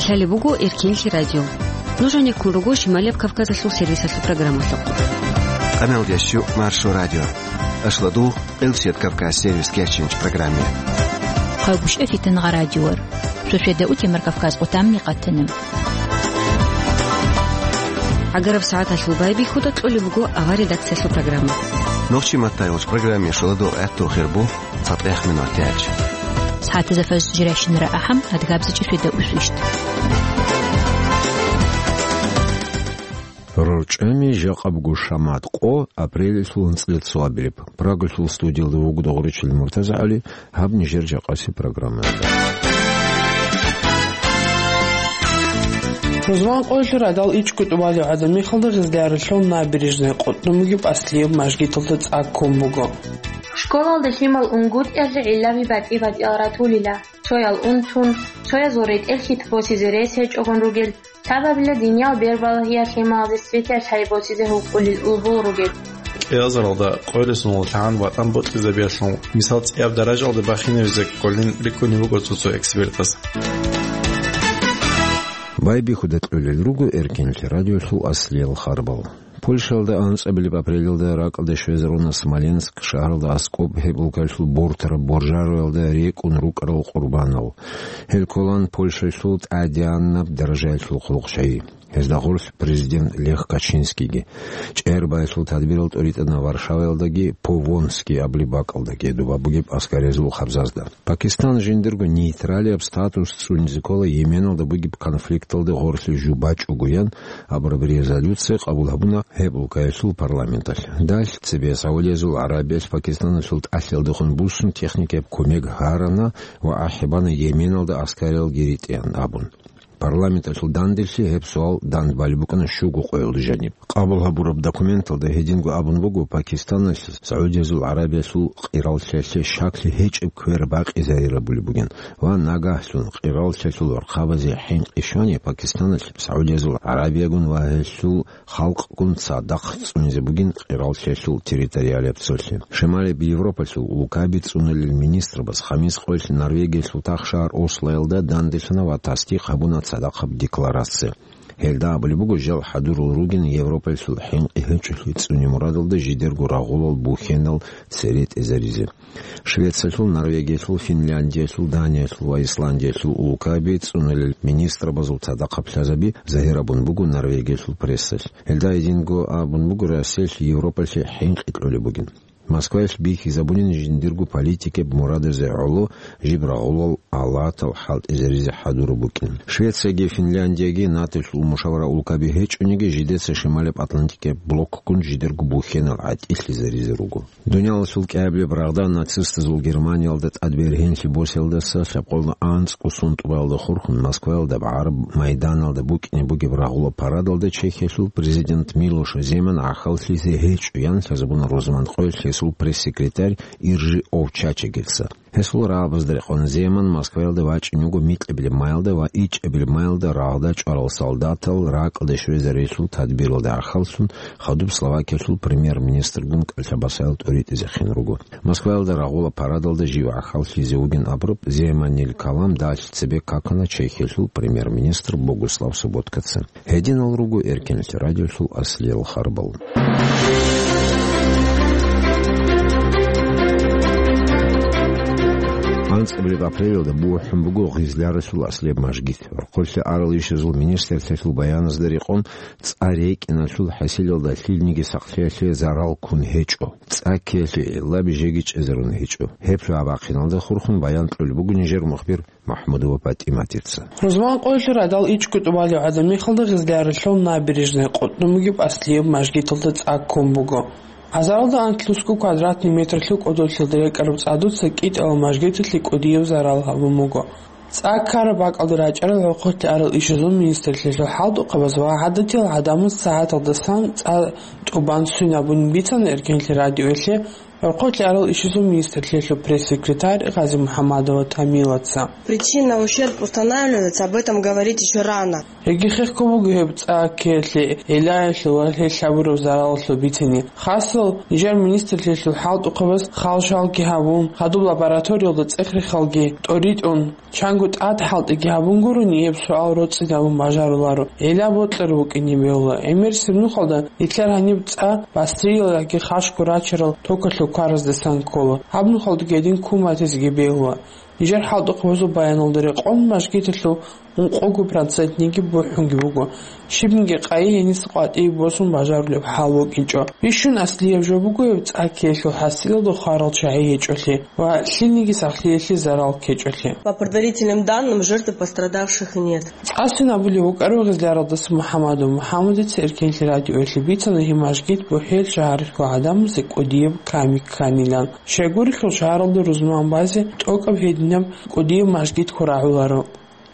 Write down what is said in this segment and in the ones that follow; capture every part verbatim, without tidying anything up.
Лъалеб буго Эркенлъи радио. Нуж гьанеккун руго Шималияб Кавказалъул сервисалъул программалъухъ. Къамел дящу Маршо радио. Ашладу Элсет Кавказ сервис кечинч программе. Хъайбушев Фитнагъа радиор. Шошеда утемар Кавказ къутамни къатана. ГӀагараб сагӀаталъул байбихьуда кьолеб буго авар редакциялъул программа. Нохчи маттайгъуч программе шоладугъ гӀатту хирбу цатӀех минут тяч. СагӀатазда фажр жиращинара ахӀам, адгабзачӀи шведа усвищт. РорчӀами жакъа буго шамат къо апрелилъул анцӀила цоабилеб. Прагалъул студиялда вуго Догъричил МуртазагӀали, гьаб нижер жакъаси программаялда. Рузман къоялъул радал ичӀго тӀубалев гӀадамихалда Гъизляралъул Набережная къотӀнун бугеб аслияб мажгиталда цӀа ккун буго. Школалда лъимал унгутӀиялъе гӀиллаби батӀи-батӀиял ратулила, цоял унтун, цоязул ретӀел хьит босизе рес гьечӀогун ругел, лъабабила диниял бербалагьиялъ лъималазе светиялъ гьай босизе гьукъулел улбул ругел. КӀиазаралда къойрисуналъ гӀан ватӀан бокьизабиялъул мисал цӀияб даражалда бахинавизе кколин рикӀкӀунеб буго цо-цо экспертаз. Байбихьуда кьолел руго Эркенлъи радиолъул аслиял харбал. Польшалда анцӀабилеб апрелалда ракӀалде щвезаруна Смоленск шагьаралда аскӀоб гьеб улкаялъул бортараб боржароялда рекӀун рукӀарал къурбанал. Гьел кколан Польшалъул тӀадегӀанаб даражаялъул хъулухъчагӀи. Гьезда гъорлъ президент Лех Качинскийги. ЧӀегӀербаялъул тадбирал тӀоритӀана Варшаваялдаги Повонский абулеб бакӀалдаги, доба бугеб аскарязул хабзазда. Пакистан жиндирго нейтралияб статус цӀунизе ккола Йеменалда бугеб конфликталда гъорлъе жо бачӀого ян абураб резолюция къабул гьабуна гьеб улкаялъул парламенталъ. Дагь цебе Саудиязул ГӀарабиялъ Пакистаналъул тӀалъиялдехун буссун техникаяб кумек гьарана ва ахӀи бана Йеменалда аскаралги ритӀеян абун. Парламенталъул данделъи гьеб суал дандбали букӀана щуго къоялда жаниб. Къабул гьабураб документалда гьединго абун буго, Пакистаналъ Саудиязул ГӀарабиялъул къираллъиялъе щаклъи гьечӀеб квер бакъизарирабулеб бугин ва нагагьлъун къираллъиялъул вархъабазе хӀинкъи щвани Пакистаналъ Саудиязул ГӀарабиягун ва гьелъул халкъгун цадахъ цӀунизе бугин къираллъиялъул территориалияб цолъи. Шималияб Европалъул улкаби цӀунулел министрабаз хамис къоялъ Норвегиялъул тахшагьар Ослоялда данделъана ва тасдикъ гьабуна цадахъаб декларация. Гьелда абулеб буго, жал хӀадурал ругин Европалъул хӀинкъи гьечӀолъи цӀуне мурадалда жидерго рагъулал бухьенал цере тӀезаризе. Швециялъул, Норвегиялъул, Финляндиялъул, Даниялъул ва Исландиялъул улкаби цӀунулел министрабазул цадахъаблъазаби загьир абун буго Норвегиялъул прессалъ. Гьелда гьединго абун буго, Россиялъ Европалъе хӀинкъи кьолеб бугин. Москваялъ бихьизабунин жиндирго политикаб мурадазе гӀоло жиб рагъулал алатал хӀалтӀизаризе хӀадураб букӀин. Швецияги Финляндияги НАТОлъул мушавара улкаби гьечӀониги, жидеца Шималаб Атлантикаб блокгун жидерго бухьенал гӀатӀилъизаризе руго. Дуниялалъул кӀиабилеб рагъда нацистазул Германиялда тӀад бергьенлъи босиялдаса лъабкъоялда анцӀго сун тӀубаялда хурхун Москваялда гӀараб майданалда букӀине бугеб рагъула парадалда Чехиялъул президент Милош Земан гӀахьаллъизе гьечӀо, ян лъазабуна рузман къоялъ гьесул пресс-секретарь Иржи Овчачегица. Гьесул рагӀабазда рекъон Земан Москваялда вачӀине вуго микьабилеб маялда ва ичӀабилеб маялда рагъда чӀварал солдатал ракӀалде щвезарелъул тадбиралда гӀахьаллъун хадуб Словакиялъул премьер-министргун кӀалъабасаял тӀоритӀизехъин руго. Москваялда рагъула парадалда жив гӀахьаллъизе вугин абураб Земанил калам далъ цебе какана Чехиялъул премьер-министр Богуслав Соботкаца. Гьединал руго Эркенлъи радиолъул аслиял харбал. АнцӀабилеб апрелалда бухӀун буго Гъизляралъул аслияб мажгит. Рохъолъи арал ишазул министрлъиялъул баяназда рекъон, цӀа рекӀиналъул хӀасилалда лъилниги сахлъиялъе зарал ккун гьечӀо. ЦӀа ккеялъе гӀиллаби жеги чӀезарун гьечӀо. Гьеб лъугӀа-бахъиналда хурхун баян кьолеб буго нижер мухбир МахӀмудова ПатӀиматица. Рузман къоялъул радал ичӀго тӀубалев гӀадамихалда Гъизляралъул набережная къотӀнун бугеб аслияб мажгиталда цӀа ккун буго. Азаралда анлънусго квадратный метрлъул кӀодолъиялда рекӀараб цӀадуца кӀитӀалал мажгиталъе кӀудияб зарал гьабун буго. ЦӀа ккараб бакӀалда рачӀарал гӀолохъолъи арал ишазул министрлъиялъул хӀалтӀухъабаз ва гӀадатиял гӀадамаз сагӀаталдасан цӀа тӀубан свинабун бицана Эркенлъи радиоялъе Рокъойлъи арал ишазул министрлъиялъул пресс-секретарь Гъази МухӀаммадова Тамилаца. Причина, ущерб устанавливается, об этом говорить ещё рано. Гьеги хехго буго гьеб цӀа ккеялъе, гӀиллаялъул ва гьелъ гьабураб заралалъул бицине. Хасал, нижер министрлъиялъул хӀалтӀухъабаз хал-шалги гьабун, гьадуб лабораториялда цӀех-рехалги тӀоритӀун, чанго тӀад хӀалтӀиги гьабун гурони, гьеб суал роцӀцӀидабун бажаруларо, гӀилла бокьараб букӀине бегьула. ГӀемерисеб нухалда нилъер гьаниб цӀа бастриялги хашго рачарал токалъул квараздасан ккола. Гьаб нухалдаги гьедин ккун батизеги бегьула. Нижер хӀалтӀухъабазул баяналда рекъон, мажгиталъул ункъого процентниги бухӀунги буго. Щибниги къайи гьениса къватӀибе босун бажарулеб хӀал букӀинчӀо. Бищун аслияб жо буго гьеб цӀа ккеялъул хӀасилалда хварал чагӀи гьечӀолъи ва лъилниги сахлъиялъе зарал ккечӀолъи. По предварительным данным, жертв пострадавших нет. ЦӀаси абулеб букӀараб Гъизляралдаса МухӀаммадов МухӀаммадица Эркенлъи радиоялъе бицана гьеб мажгит бухӀел шагьаралъул гӀадамазе кӀудияб ками кканилан. Щайгурелъул шагьаралда рузман базе тӀокӀаб гьединаб кӀудияб мажгитго рагӀуларо.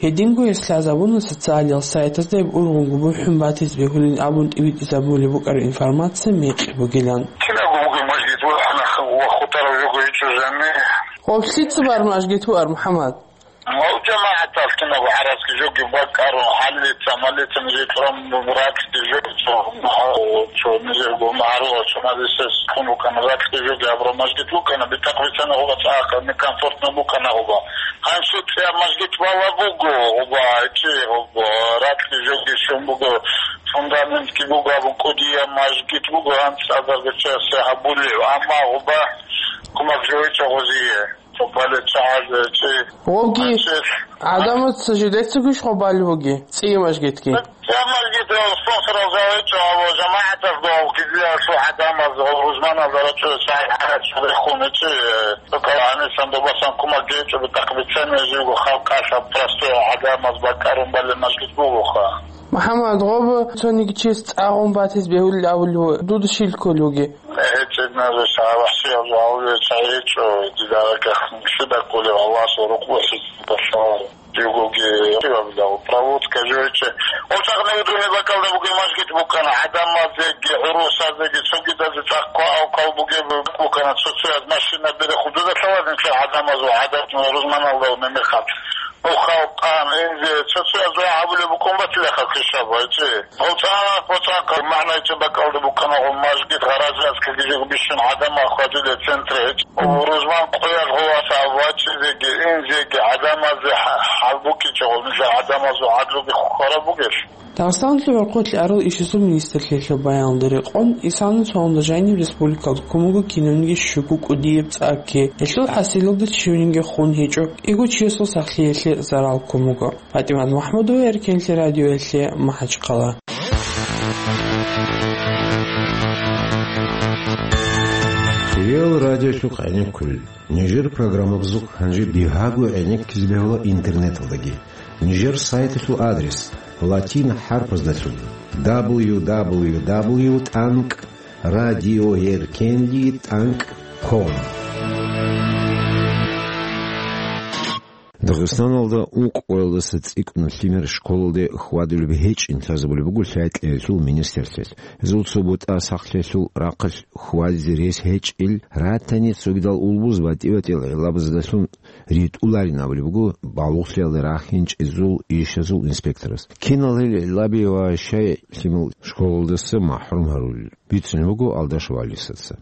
Гьединго гьес лъазабуна социалиял сайтазда гьеб ургъунго бухӀун батизе бегьулин абун тӀибитӀизабулеб букӀараб информация мекъи бугилан. Кинабго бугеб мажгит ва хутӀараб жого гьечӀо жанни. Гъоб лъица бар мажгит бугеб, МухӀаммад? Гьав жамагӀаталъ кинабго гӀарац жоги бакӀарун, хӀалица, малица нижер кьураб ракьги жо, цо, цо нижерго магӀарулал чӀумазесес ккун букӀана, ракьги жоги гьабураб мажгит букӀана, битӀахъ бицана гъуба цӀакъ, некомфортно букӀана гъуба. Гьанже цӀияб мажгит бала буго, гъуба, чи, гъуба, ракьги жоги щун буго, фундаментги буго, абун кӀудияб мажгит буго, гьанцӀ азарго чиясе гьабулев, амма гъуба кумек жо гьечӀо гъозие. Цо бале чагӀазе чи. Гъобги гьанчи гӀадамаз жидецагуш гъоб бале буги, цӀияб мажгитги. ЦӀияб мажгит спонсорал жавичӀо, гьав жамагӀаталъ гьав гьезиялъул гӀадамаз, гьав рузманал дарачӀо чагӀи гьарачӀо рехун чи. Цо калгьанисан добасан кумек гьечӀо, битӀахъ бицани живго халкъалъ, простой гӀадамаз бакӀарун бале мажгит бугоха. МухӀаммад, гъоб цониги чияс цӀа гъун батизе бегьулел абулев, дуда щиб кколев вугев? ГьечӀеб назуса вахӀшиял жаваб чагӀи гьечӀо, дида ракӀахъ нилъеда кколев Аллагьасул рукъ босизе босун. Живгоги, проводка жойче. Гьоб чагӀи дуни бакӀалда бугеб мажгит букӀана, гӀадамазеги, гӀурусазеги, цогидазе цӀакъ квалквал бугеб букӀана, цо-цояз машина берехъ дуда лъаларин гӀадамазул гӀадат рузманалда мемехъаб. Ну, халкъан, инзе, цо-цояз дугӀа гьабулеб букӀун батила халкъ хишаб, гьечӀи. ГъоцӀа-гъоцӀа магӀнайчи бакӀалда букӀана гъо мажгит, гъаразияс кагижего бищун гӀадамал хьвадулел центр гьечӀ. Рузман къоялъ гъо васаб вачӀизеги, инзеги гӀадамазе хӀа-, хӀалбукӀичӀо гъо, нилъер гӀадамазул гӀадлуги хвараб бугелъ. Дагъистаналъул гӀурхъулъи арал ишазул министрлъиялъул баянда рекъон, исалан цоялда жаниб республикалда ккун буго кинабниги щуго кӀудияб цӀа кке. Гьелъул хӀасилалда щивниги хун гьечӀо, кӀиго чиясул сахлъиялъе зарал ккун буго. ПатӀимат МахӀмудова, Эркенлъи радиоялъе, МахӀачхъала. Реал радиолъухъ гӀенеккулел. Нижер программабазухъ гьанже бигьаго гӀенеккизе бегьула интернеталдаги. Нижер сайталъул адрес латин хӀарпаздалъун: дабл ю дабл ю дабл ю тӀанкӀ радиоеркенли тӀанкӀ ком. Дагъистаналда ункъоялдаса цӀикӀкӀун лъимер школалде хьвадулеб гьечӀин лъазабулеб буго лъай-лъиялъул министрлъиялъ. Гьезул цо бутӀа сахлъиялъул рахъалъ хьвадизе рес гьечӀел ратани цогидал улбуз батӀи-батӀиял гӀиллабаздалъун ритӀуларин абулеб буго балугълъиялда рахинчӀезул ишазул инспекторас. Кинал гьел гӀиллаби ва щай лъимал школалдаса махӀрум гьарулел, бицунеб буго Алдашев Алисаца.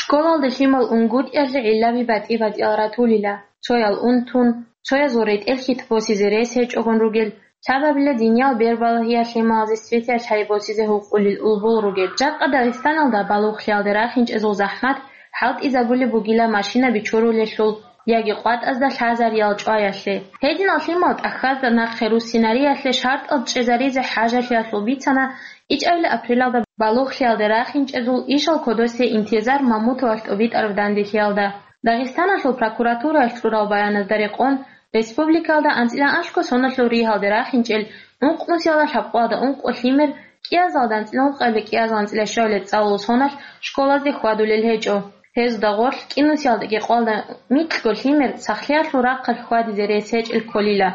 Школалда лъимал унгутӀиялъе гӀиллаби батӀи-батӀиял ратулила, цоял унтун, цоязул ретӀел-хьитӀ босизе рес гьечӀогун ругел, лъабабила диниял бербалагьиялъ лъималазе светаялъ гьайи босизе гьукъулел улбул ругел. Жакъа Дагъистаналда балугълъиялда рахинчӀезул захӀмат хӀалтӀизабулеб бугила машина бичурулелъул яги къватӀазда лъазариял чӀваялъе. Гьединал лъимал тӀахьазда нахъе руссинариялъе шартӀал чӀезаризе хӀажалъиялъул бицана ичӀабилеб апрелалда балугълъиялда рахинчӀезул ишал кодосе Интизар Мамутовалъ тӀубитӀараб данделъиялда. Дагъистаналъул прокуратураялъ кьурал баяназда рекъон, республикалда анцӀила анлъго соналъул ригьалде рахинчӀел ункънусиялда лъабкъоялда ункъо лъимер кӀиазалда анцӀила ункъабилеб кӀиазал анцӀила щуабилеб цӀалул соналъ школазде хьвадулел гьечӀо. Гьезда гъорлъ кӀинусиялдаги къоялда микьго лъимер сахлъиялъул рахъалъ хьвадизе рес гьечӀел кколила.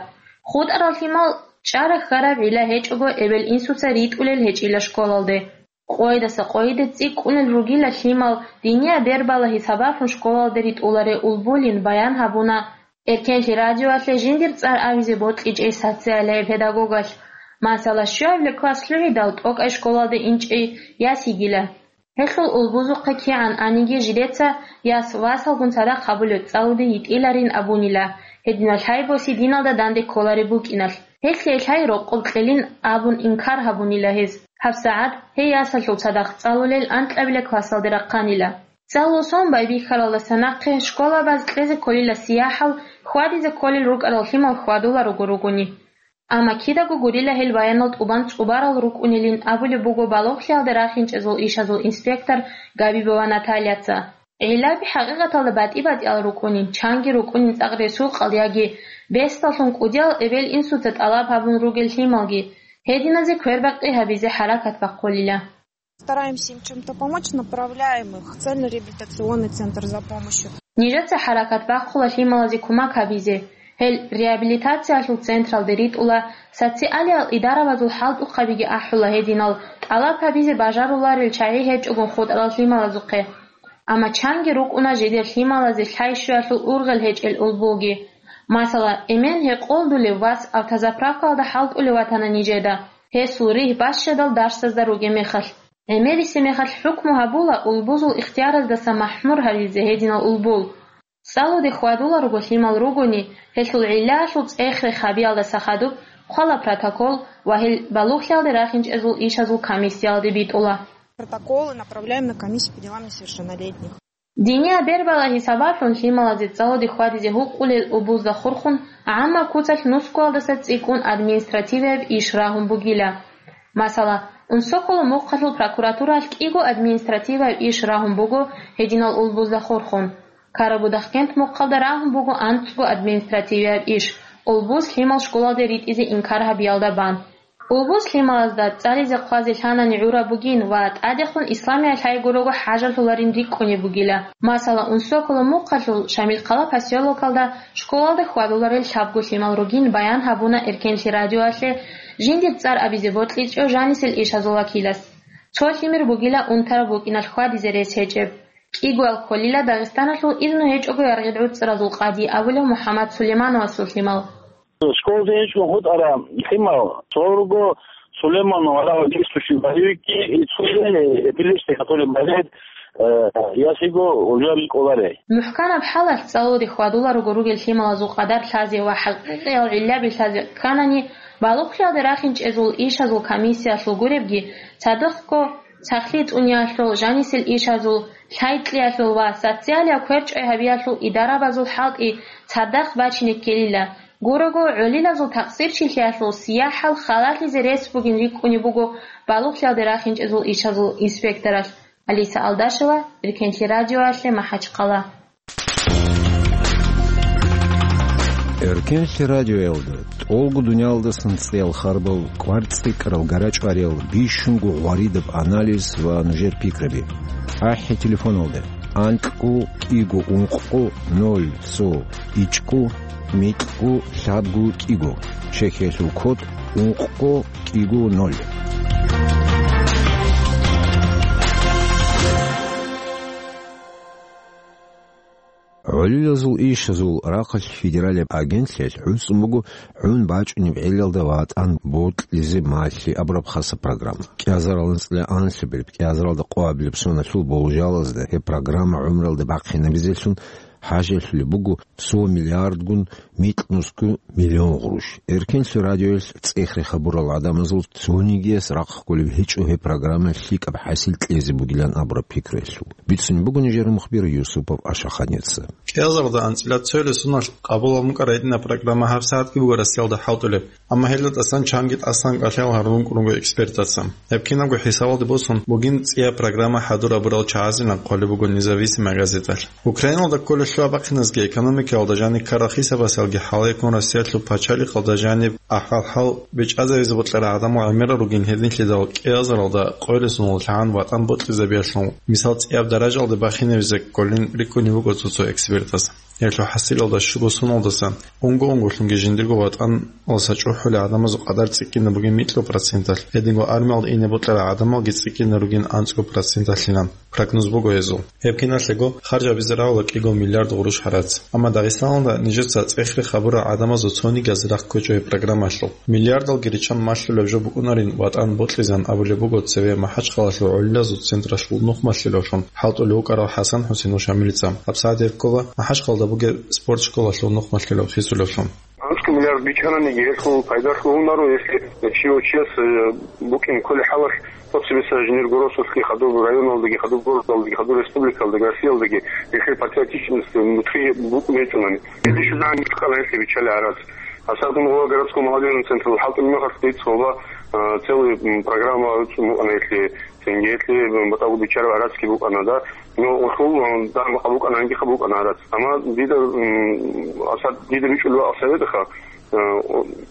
ХутӀарал лъимал чӀара-хьараб гӀилла гьечӀого эбел-инсуца ритӀулел гьечӀила школалде. Къойдаса къойде цӀикӀкӀунел ругила лъимал, диния бербала гьисабалъун школалде ритӀуларев улбулин баян гьабуна. Эркенлъи радиоялъе жиндир цӀар абизе бокьичӀей социалияб педагогалъ. Масала, щуабилеб класс лъугӀидал тӀокӀай школалде инчӀей яс йигила. Гьелъул улбузухъе кигӀан аниги, жидеца яс васалгун цадахъ гьабулеб цӀалуде йитӀиларин абунила, гьединал лъай боси диналда данде кколареб букӀиналъ. Гьелъие лъай рокъоб кьелин абун инкар гьабунила гьез. ГьабсагӀат гьей ясалъул цадахъ цӀалулел анкьабилеб классалде рахъанила. ЦӀалул сон байбихьаралдаса нахъе школабаз кьезе кколила сияхӀал, хьвадизе кколел рукӀарал лъимал хьвадуларуго ругони. Амма кидаго гурила гьел баянал тӀубан цӀубарал рукӀунилин абулеб буго балугълъиялде рахинчӀезул ишазул инспектор Габибова Натальяца. ГӀиллаби хӀакъикъаталда батӀи-батӀиял рукӀунин, чанги рукӀунин цӀакъ ресуркъал яги бесдаллъун кӀудиял эбел-инсуца тӀалаб гьабун ругел лъималги, гьединазе квербакъи гьабизе хӀаракат бахъулила. Стараемся им чем-то помочь, направляем их в цельный реабилитационный центр за помощью. Нижеца хӀаракат бахъула лъималазе кумак гьабизе. Гьел реабилитациялъул централде ритӀула, социалиял идарабазул хӀалтӀухъабиги ахӀула гьединал, тӀалаб гьабизе бажаруларел чагӀи гьечӀогун хутӀарал лъималазухъе. Амма чанги рукӀуна жидер лъималазе лъай-щуялъул ургъел гьечӀел улбуги. Масала, эмен гьекъолдулев вас автозаправкаялда хӀалтӀулев ватана нижеда, гьесул ригь бащадал дарсазда ругеб мехалъ. ГӀемерисеб мехалъ хӀукму гьабула улбузул ихтияраздаса махӀмур гьаризе гьединал улбул. ЦӀалуде хьвадуларого лъимал ругони, гьелъул гӀиллаялъул цӀех-рех гьабиялдаса хадуб хъвала протокол ва гьел балугълъиялде рахинчӀезул ишазул комиссиялде битӀула. Протоколы направляем на комиссию по делам несовершеннолетних. Диния бербала гьисабалъун лъималазе цӀалуде хьвадизе гьукъулел улбузда хурхун гӀаммаб куцалъ нусгоялдаса цӀикӀкӀун административияб иш рагьун бугила. Масала, Унсоколо мухъалъул прокуратуралъ кӀиго административияб иш рагьун буго гьединал улбузда хурхун. Карабудахкент мухъалда рагьун буго анцӀго административияб иш, улбуз лъимал школалде ритӀизе инкар гьабиялда бан. Улбуз лъималазда цӀализе хъвазе лъанани гӀураб бугин ва тӀадехун исламиялъ гьайгурого хӀажалъуларин рикӀкӀунеб бугила. Масала, Унсоколо мухъалъул Шамилхъала поселокалда школалда хьвадуларел лъабго лъимал ругин баян гьабуна Эркенлъи радиоялъе жиндир цӀар абизе бокьичӀев жанисел ишазул вакилас. Цо лъимер бугила унтараб букӀиналъ хьвадизе рес гьечӀеб. КӀигоял кколила Дагъистаналъул изну гьечӀого яргъи гӀуцӀразул къади абулев МухӀаммад Сулеймановасул лъимал. Школде гьечӀо хутӀараб лъимал, цо руго Сулейманов Алават, действующий боевикги, и цоги эпилепсия, который болеет, э, ясиго уже рикӀкӀоларей. МухӀканаб хӀалалъ цӀалулде хьвадуларуго ругел лъималазул къадар лъазе ва хӀакъикъиял гӀиллаби лъазе кканани, балугълъиялде рахинчӀезул ишазул комиссиялъул гуребги, цадахъго сахлъи цӀуниялъул, жанисел ишазул, лъай кьеялъул ва социалияб кверчӀвай гьабиялъул идарабазул хӀалтӀи цадахъ бачине ккелила. Гурого, гӀолилазул такъсирчилъиялъул сияхӀал халалъизе рес бугин рикӀкӀунеб буго балугълъиялде рахинчӀезул ишазул инспекторалъ. Алиса Алдашева, Эркенлъи радиоялъе, МахӀачхъала. Эркенлъи радиоялда тӀолго дуниялдасан цӀеял харбал, кӀвар цӀикӀкӀарал гарачӀвариял, бищунго гъваридаб анализ ва нужер пикраби. АхӀи телефоналда: анкьго кӀиго ункъго ноль цо ичӀго микьго лъабго кӀиго, чехьиялъул код ункъго кӀиго ноль. ГӀолилазул ишазул рахъалъ федералияб агентлъиялъ гӀуцӀун буго гӀун бачӀунеб гӀелалда ватӀан бокьизе малъи абураб хасаб программа. КӀиазарал анцӀила анлъабилеб, кӀиазаралда къоабилеб соналъул болжалазда гьеб программа гӀумралда бахъинабизелъун хӀажалъулеб буго цо миллиардгун микьнусго миллион гъруш. Эркенлъи радиоялъ цӀех-рех гьабурал гӀадамазул цонигияс рахъ кколеб гьечӀо гьеб программа лъикӀаб хӀасил кьезе бугилан абураб пикруялъул. Бицунеб буго нижер мухбир Юсупов Ашаханица. КӀиазарда анцӀила цоялъ соналъ къабул гьабун ккарай гьединаб программа гьабсагӀатги буго Россиялда хӀалтӀулеб. Амма гьелда тӀасан чанги тӀасан кӀалъал гьарун кӀурунго экспертаца. Гьеб кинабго хӀисабалде босун бугин цӀияб программа хӀадур гьабурал чагӀазилан хъвалеб буго Независимая газеталъ. Украиналда кколелъул абахъиназги экономикаялда жаниб ккарал хӀисабасалги хӀалаяккун Россиялъул пачалихъалда жаниб ахӀвал-хӀал бичӀчӀазавизе бокьарал гӀадамал гӀемерал ругин гьединлъидал кӀиазаралда къоялъ соналъ лъагӀан ватӀан бокьизабиялъул мисал цӀияб даражалде бахинавизе кколин рикӀкӀунеб буго цо-цо экспертаз. Гьелъул хӀасилалда щуго соналдаса унго-унголъунги жиндирго ватӀаналдаса чӀухӀулел гӀадамазул къадар цӀикӀкӀине бугин микьго проценталъ, гьединго армиялда ине бокьарал гӀадамалги цӀикӀкӀине ругин анцӀго проценталъилан прогноз буго гьезул. Гьеб киналъего харж гьабизе рагӀула кӀиго миллиард гъурущ гӀарац. Амма Дагъистаналда нижеца цӀехре хабурал гӀадамазул цониги аз рахъ ккечӀо гьеб программаялъул. Миллиардалги риччан малъулеб жо букӀунарин ватӀан бокьизан абулеб буго цеве МахӀачхъалалъул гӀолилазул централъул нухмалъилавлъун хӀалтӀулев вукӀарав ХӀасан ХӀусейновил Шамилица. ГьабсагӀат гьеб ккола МахӀачхъалда бугеб спорт школалъул нухмалъилав хисулевлъун. АнцӀго миллиард биччананиги, гьелъул пайдалъ гьунаро, если чи-, чияс, э, букӀин кколеб хӀалалъ, тӀоцебесеб жиндир городалъги, хадуб районалдаги, хадуб городалдаги, хадуб республикалдаги, Россиялдаги, гьелъул патриотичность нутӀкъи букӀун гьечӀони. Гьелъ щвезегӀан букӀана гьелъие биччалел гӀарац. Гьасаб дун гьуа городской молодёжный централъул хӀалтӀулеб мехалъ дица гьоба, а, целый, м, программа цӀун букӀана гьелъие, цинги гьелъие, м, батӀалъи биччараб гӀарацги букӀана, да. Но гьелъул, м, дагь-макъ букӀана, гьанжеха букӀана гӀарац. Амма дида, м, гьасаб дида бичӀчӀулеб бакӀ советаха, а,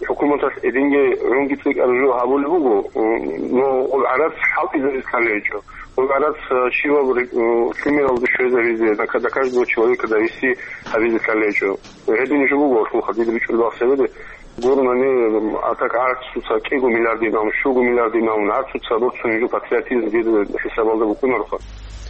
хӀукуматалъ гьединги гӀунги цӀикӀкӀараб жо гьабулеб буго, м, но гьеб гӀарац хӀалтӀизаризе кколеб гьечӀо. Гьеб гӀарац, а, щивав ре-, м, лъимералда щвезабизе, на ка-, на каждого человека довести гьабизе кколеб гьечӀо. Гьедин жо буго, гьелъул хадуб дида бичӀчӀулеб бакӀ советазе. Гурони, а так гӀарцуца кӀиго миллиардин абун, щуго миллиардин абун, гӀарцуца борцунеб жо патриотизм дида хӀисабалда букӀунароха.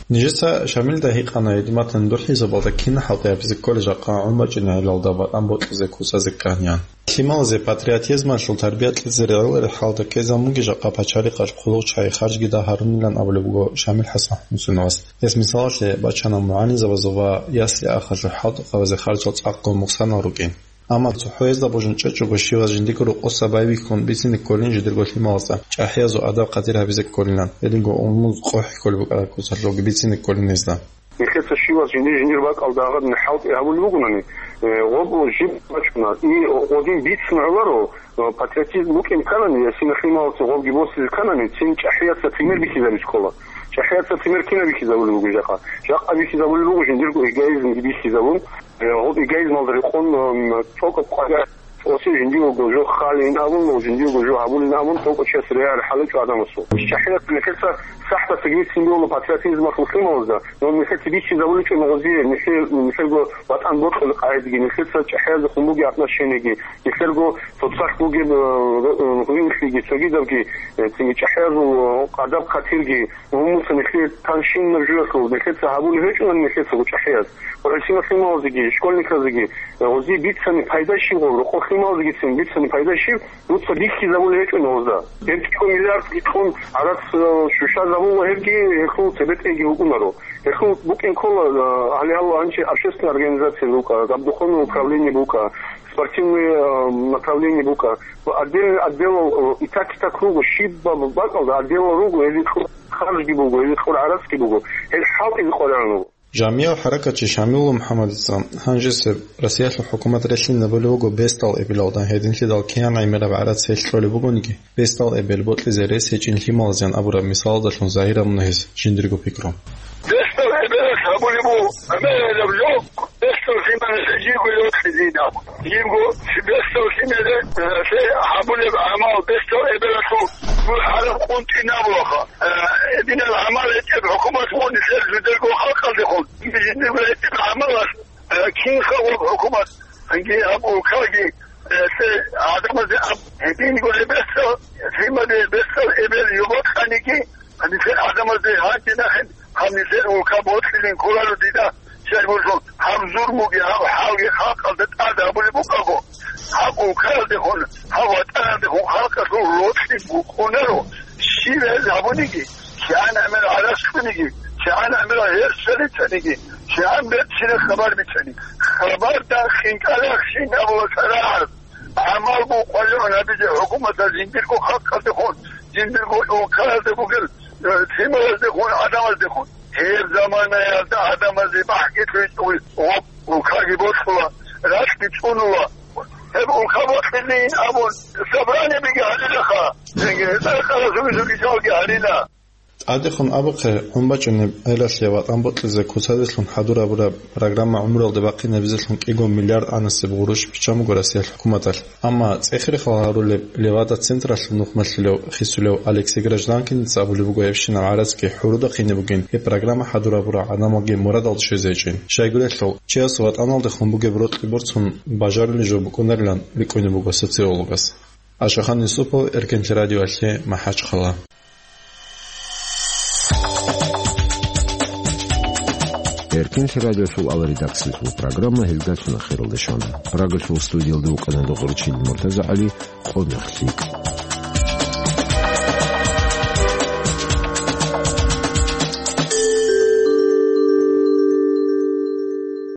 Нижеца Шамилида гьикъана, гьедин батани духӀизабалда кин хӀалтӀи гьабизе кколел жакъа гӀун бачӀинегӀелалда ватӀан бокьизе куцазе кканин. Лъималазе патриотизмалъул тарбия кьезе регӀелареб хӀалда ккезабун бугин жакъа пачалихъалъ хъулухъ чагӀи харжги дагь гьарунилан абулеб буго Шамил ХӀасан ХӀусейновас. Гьес мисалалъе бачана мугӀалимзабазул ва ясли-ахалъул хӀалтӀухъабазе харжал цӀакъго мукъсанал рукӀин. Амма цохӀо гьезда божун чӀечӀого щивас жиндирго рокъоса байбихьун бицине кколин жидерго лъималазда чӀахӀиязул адаб-къадир гьабизе кколилан, гьединго умумуз къохӀ кколеб букӀараб куцалъулги бицине кколин гьезда. Нилъеца щивас жиндир-жиндир бакӀалда гьагъадин хӀалтӀи гьабулеб бугони, э, гъоб жиб бачӀуна. И гъодин бицун гӀоларо, э, патриотизм букӀин кканани, ясина лъималаца гъобги босизе кканани, цин чӀахӀияца пример бихьизаби ккола. ЧӀахӀияца пример кинаб бихьизабулеб буго жакъа? Жакъа бихьизабулеб буго жиндирго эгоизмги бихьизабун, Э, гьоб эгоизмалда рекъон, м, цо-, цо-, цо-, цоси жиндиего жо халин абун, жиндиего жо гьабулин абун, цо-, цо чияс регӀараб хӀал гьечӀо гӀадамасул. ЧӀахӀияс нилъеца сахӀдаса бицин бегьула патриотизмалъул лъималазда, но нилъеца бицизабулеб гьечӀо гъозе, нилъе-, нилъерго ватӀан бокьулеб къагӀидаги, нилъеца чӀахӀияздехун бугеб отношениеги, нилъерго цоцалъ бугеб, э, ро-, э, гӀунилъиги, цогидабги, э, цинги чӀахӀиязул, э, адаб-хатирги, Гьуммуца нилъее танщинаб жоялъул нилъеца гьабулеб гьечӀони нилъецаго чӀахӀияз, ва гӀисиналъималазеги, школьниказеги, э, гъози бицани пайда щиб гъоб, рокъоб лъималазегицин бицани пайда щиб, дуца бихьизабулеб гьечӀони гъозда. Гьеб кӀиго миллиардги кьун гӀарац, э, щущазабула гьебги, гьелъул цебетӀейги букӀунаро. Гьелъул букӀин ккола, э, гьале гьалла гьанчи общественный организация букӀа, габ духовное управление букӀа, спортивное, э, направление букӀа. Ва отдельный отделал, э, итак-итак руго, щибаб бакӀалда отделал руго, гьезие кьур харжги буго, гьезие кьур гӀарацги буго. Гьел хӀалтӀизе къваригӀун руго. Жамияв хӀаракатчи Шамилул МухӀаммадица гьанжесеб Россиялъул хӀукумат релълъинабулев вуго бесдал эбелалда, гьединлъидал кигӀан гӀемераб гӀарац гьелъ кьолеб бугониги, бесдал эбел бокьизе рес гьечӀин лъималазеян абураб мисалалдалъун загьир гьабуна гьес жиндирго пикру. Бесдал эбелалъ гьабулеб буго гӀемераб жо, бесдал лъималазе жибго йокьизина. Жибго бесдал лъималазе, э, лъе гьабулеб гӀамал бесдал эбелалъул гьараб къунтӀинабулаха. Э, гьединаб гӀамал гьечӀеб хӀукумат гъони лъел жидерго халкъалдехун. Жиндирго гьечӀеб гӀамалалъ, э, кин хаваб хӀукумат, гьанги гьаб улкаги, э, лъе гӀадамазе аб-, гьединго гьеб бесдал лъималазе бесдал эбел йобокьаниги, гьанисел гӀадамазде гьанкӀи нахъе гьанисел улка бокьилин кколаро дида. Щай гурелъул, гьаб зурмуги, гьаб хӀалги халкъалда тӀад гьабулеб букӀаго, гьаб улкаялдехун, гьаб ватӀаналдехун халкъалъул рокьи букӀунаро, щиб гьез гьабуниги, кигӀан гӀемер гӀарац кьуниги, кигӀан гӀемер гьерсал рицаниги, кигӀан берцинаб хабар бицани. Хабарда хинкӀалахъ щиб абула царагӀаз. ГӀамал букъваллъун гьабизе хӀукуматалъ жиндирго халкъалдехун, жиндирго улкаялда бугел, э, лъималаздехун, гӀадамаздехун. Гьеб заманаялда гӀадамазе бахӀги лъугьичӀого гъоб улкаги бокьула, ракьги цӀунула. Гьеб улка бокьилин абун, собраниябиги гьарилаха, цинги цӀакъ-къарасаби жуги жалги гьарила. ТӀадехун абухъе, гӀун бачӀунеб гӀелалъе ватӀан бокьизе куцазелъун хӀадурабураб программа гӀумралде бахъинабизелъун кӀиго миллиард анасеб гъурущ биччан буго Россиялъ хӀукуматалъ. Амма цӀехи рехал гьарулеб Левада централъул нухмалъулев хисулев Алексей Гражданкиница абулеб буго, гьебщинаб гӀарацги хӀуруда хъине бугин, гьеб программа хӀадурабурал гӀадамалги мурадалда щвезе гьечӀин. Щайгурелъул, чияс ватӀаналдехун бугеб рокьи борцун бажарулеб жо букӀунарилан рикӀкӀунеб буго социологас. Ашахан Юсупов, Эркенлъи радиоялъе, МахӀачхъала. Эркенлъи радиосул ал редакциялъул программа гьелдалъун ахиралде щвана. Прагалъул студиялда вукӀана Догъурчил МуртазагӀали. Къо-, мехлъи.